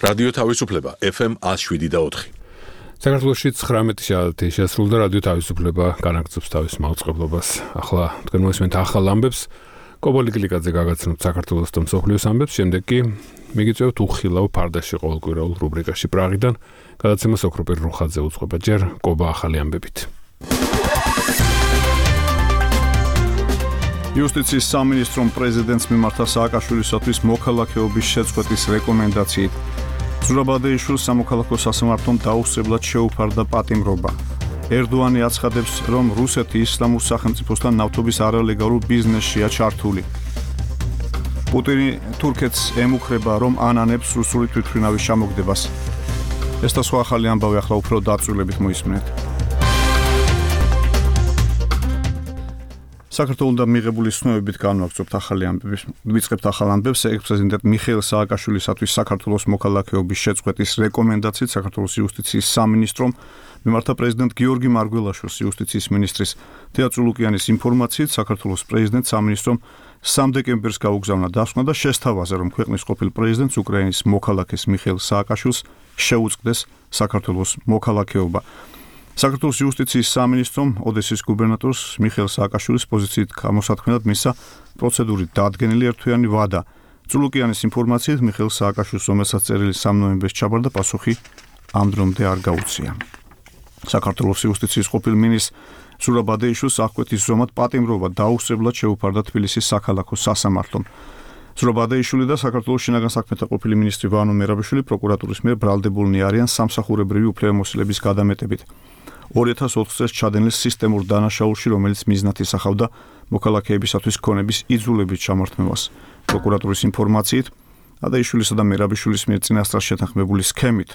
რადიო თავისუფლება FM 107.4. საქართველოში 19 შაბათი შესრულდა რადიო თავისუფლება განაგრძობს თავის მაუწყებლობას. ახლა თქვენ მოსმენთ ახალ ამბებს. კობოლი გლიკაძე გაგაცნობთ საქართველოს და მსოფლიოს ამბებს, შემდეგ კი მიგიწევთ უხილავ ფარდაში ყოველკვირეულ რუბრიკაში პრაღიდან, გადაცემას ოქროპირ რუხაძე უძღვება ჯერ კობა ახალი ამბებით. იუსტიციის სამინისტრომ პრეზიდენტს მიმართა სააკაშვილისათვის მოქალაქეობის შეწყვეტის რეკომენდაციით. ზურაბადეიშვილს სამოქალაქო სასამართლომ დაუსწრებლად შეუფარდა პატიმრობა. ერდოანი აცხადებს, რომ რუსეთი ისლამურ სახელმწიფოსთან ნავთობის არალეგალურ ბიზნესშია ჩართული. პუტინი თურქეთს ემუქრება, რომ ანანებს რუსული თვითმფრინავის ჩამოგდებას. ეს და სხვა ახალი ამბავი ახლა უფრო დაწვრილებით მოისმენთ. საქართველოსთან მიღებული ცნობებით განვაგრძობთ ახალი ამბების. ვიწყებთ ახალ ამბებს. ექს-პრეზიდენტ მიხეილ სააკაშვილისათვის საქართველოს მოქალაქეობის შეწყვეტის რეკომენდაციით საქართველოს იუსტიციის სამინისტრომ მიმართა პრეზიდენტ გიორგი მარგველაშვილს იუსტიციის მინისტრის თეატრო ლუკიანის ინფორმაციით საქართველოს პრეზიდენტ სამინისტრომ 3 დეკემბერს გაუგზავნა დასკვნა და შესთავაზა, რომ ქვეყნის ყოფილ პრეზიდენტს უკრაინის მოქალაქეს მიხეილ სააკაშვილს შეუწყდეს საქართველოს მოქალაქეობა. საქართველოს იუსტიციის სამინისტრომ ოდესის გუბერნატორს მიხეილ სააკაშვილის პოზიციით გამოსათქმელად მისცა პროცედურით დადგენილი ერთთვიანი ვადა. წულუკიანის ინფორმაციით მიხეილ სააკაშვილს, რომელსაც წერილი 3 ნოემბერს ჩაბარდა, პასუხი ამ დრომდე არ გაუწია. საქართველოს იუსტიციის ყოფილ მინისტრს ზურაბადეიშვილს აღკვეთის ზომად პატიმრობა დაუსწრებლად შეუფარდა თბილისის საქალაქო სასამართლომ. ზურაბადეიშვილი და საქართველოს შინაგან საქმეთა ყოფილი მინისტრი ვანო მერაბიშვილი პროკურატურის მიერ ბრალდებულნი არიან სამსახურებრივი უფლებამოსილების გადამეტებით. 2004 წელს ჩადენილ სისტემურ დანაშაულში, რომელიც მიზნად ისახავდა მოქალაქეებისათვის ქონების იძულებით ჩამორთმევას. პროკურატურის ინფორმაციით, ადაიშვილისა და მერაბიშვილის მიერ წინასწარ შეთანხმებული სქემით,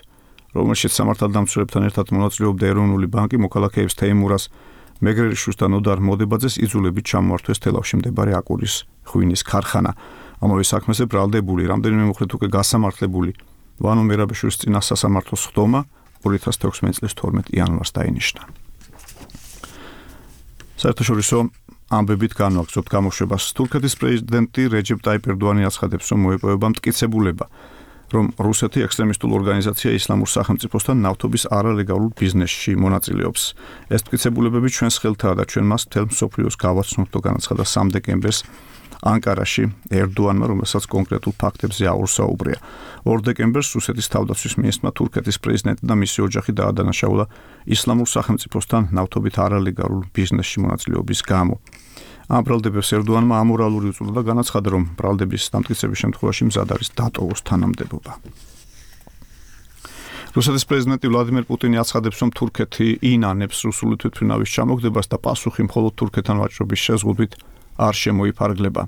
რომელშიც სამართალდამცველებთან ერთად მონაწილეობდა ეროვნული ბანკი, მოქალაქეებს თეიმურას, მეგრელიშვილს და ნოდარ მოდებაძეს იძულებით ჩამოართვეს თელავში მდებარე აკურის ღვინის ქარხანა. ამავე საქმეზე ბრალდებული, რამდენიმე მოხდით უკვე გასამართლებული ვანო მერაბიშვილის წინა სასამართლოს ხდომა 2016 წლის 12 იანვარს დაინიშნა. საერთაშორისო ამბებით განვაგრძობთ გამოშვებას. თურქეთის პრეზიდენტი რეჯეპ ტაიპ ერდოანი აცხადებს, რომ მოეპოვება მტკიცებულება, რომ რუსეთი ექსტრემისტულ ორგანიზაცია ისლამურ სახელმწიფოსთან ნავთობის არალეგალურ ბიზნესში მონაწილეობს. ეს მტკიცებულებები ჩვენს ხელთაა და ჩვენ მას მთელ მსოფლიოს გავაცნობთ, განაცხადა 3 დეკემბერს ანკარაში ერდოანმა, რომელსაც კონკრეტულ ფაქტებზე აურსაუბრია. 2 დეკემბერს რუსეთის თავდაცვის მინისტრმა თურქეთის პრეზიდენტი და მისი ოჯახი დაადანაშაულა ისლამურ სახელმწიფოსთან ნავთობით არალეგალურ ბიზნესში მონაწილეობის გამო. ამ ბრალდებებს ერდოანმა ამორალური უწოდა და განაცხადა, რომ ბრალდების დამტკიცების შემთხვევაში მზად არის დატოვოს თანამდებობა. რუსეთის პრეზიდენტი ვლადიმერ პუტინი აცხადებს, რომ თურქეთი ინანებს რუსული თვითმფრინავის ჩამოგდებას და პასუხი მხოლოდ თურქეთთან ვაჭრობის შეზღუდვით არ შემოიფარგლება.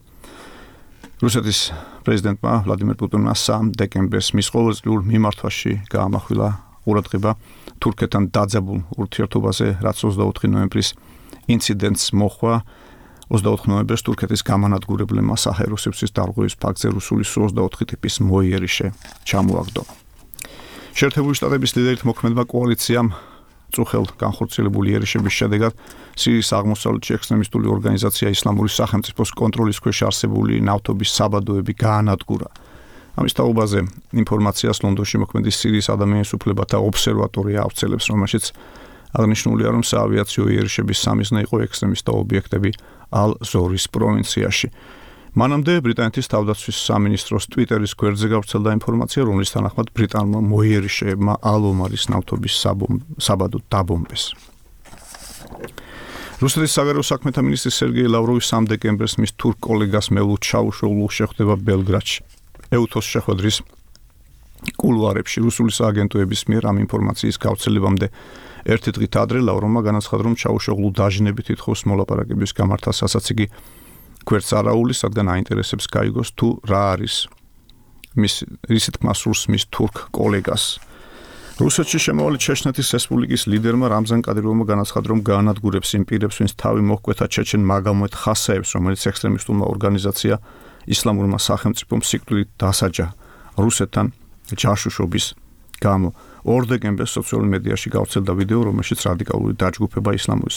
რუსეთის პრეზიდენტმა ვლადიმერ პუტინმა 3 დეკემბერს მის ყოველწლიურ მიმართვაში გაამახვილა ყურადღება თურქეთთან დაძაბულ ურთიერთობაზე, რაც 24 ნოემბრის ინციდენტს მოჰყვა. 24 ნოემბერს თურქეთის გამანადგურებლებმა საჰაერო სივრცის დარღვევის ფაქტზე რუსული Su-24 ტიპის მოიერიშე ჩამოაგდო. შეერთებული შტატების ლიდერით მოქმედმა კოალიციამ წუხელ განხორციელებული იერიშების შედეგად სირიის აღმოსავლეთში ექსტრემისტული ორგანიზაცია ისლამური სახელმწიფოს კონტროლის ქვეშ არსებული ნავთობის საბადოები გაანადგურა. ამის თაობაზე ინფორმაციას ლონდონში მოქმედი სირიის ადამიანის უფლებათა ობსერვატორია ავრცელებს, რომელშიც აღნიშნულია, რომ საავიაციო იერიშების სამიზნე იყო ექსტრემისტთა ობიექტები ალ-ზორის პროვინციაში. მანამდე ბრიტანეთის თავდაცვის სამინისტროს ტვიტერის გვერდზე გავრცელდა ინფორმაცია, რომლის თანახმად ბრიტანულმა მოიერიშეებმა ალ-ომარის ნავთობის საბადო დაბომბეს. რუსეთის საგარეო საქმეთა მინისტრი სერგეი ლავროვი 3 დეკემბერს მის თურქ კოლეგას მელუთ ჩავუშოულს შეხვდება ბელგრადში. ეუთოს შეხვედრის კულუარებში რუსული სააგენტოების მიერ ამ ინფორმაციის გავრცელებამდე ერთი დღით ადრე ლავროვმა განაცხადა, რომ ჩავუშოულუ დაჟინებით ითხოვს მოლაპარაკების გამართას, რასაც იგი გვერდს არაულის, რადგან აინტერესებს გაიგოს თუ რა არის რისი თქმა სურს მის თურქ კოლეგას. რუსეთში შემავალი ჩეჩნეთის რესპუბლიკის ლიდერმა რამზან კადიროვმა განაცხადა, რომ გაანადგურებს იმ პირებს, ვინც თავი მოჰკვეთა ჩეჩენ მაგომედ ხასაევს, რომელიც ექსტრემისტულმა ორგანიზაცია ისლამურმა სახელმწიფომ სიკვდილით დასაჯა რუსეთთან ჯაშუშობის გამო. 2 დეკემბერს სოციალურ მედიაში გავრცელდა ვიდეო, რომელშიც რადიკალური დაჯგუფება ისლამური